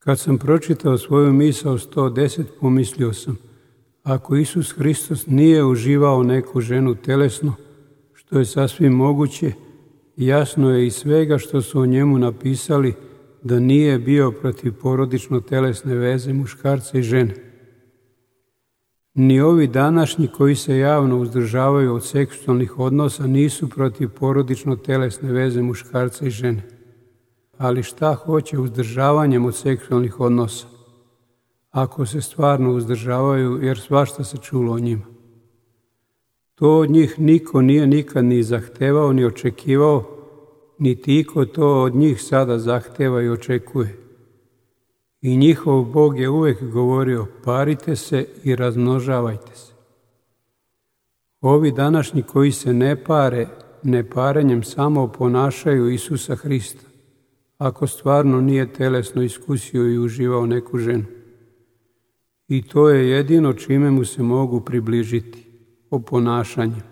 Kad sam pročitao svoju misao 110, pomislio sam, ako Isus Hristos nije uživao neku ženu telesno, što je sasvim moguće, jasno je iz svega što su o njemu napisali da nije bio protiv porodično-telesne veze muškarca i žene. Ni ovi današnji koji se javno uzdržavaju od seksualnih odnosa nisu protiv porodično-telesne veze muškarca i žene. Ali šta hoće uzdržavanjem od seksualnih odnosa? Ako se stvarno uzdržavaju, jer svašta se čulo o njima. To od njih niko nije nikad ni zahtevao, ni očekivao, niti iko to od njih sada zahteva i očekuje. I njihov Bog je uvek govorio, parite se i razmnožavajte se. Ovi današnji koji se ne pare, neparenjem samo oponašaju Isusa Hrista, ako stvarno nije telesno iskusio i uživao neku ženu. I to je jedino čime mu se mogu približiti, oponašanjem.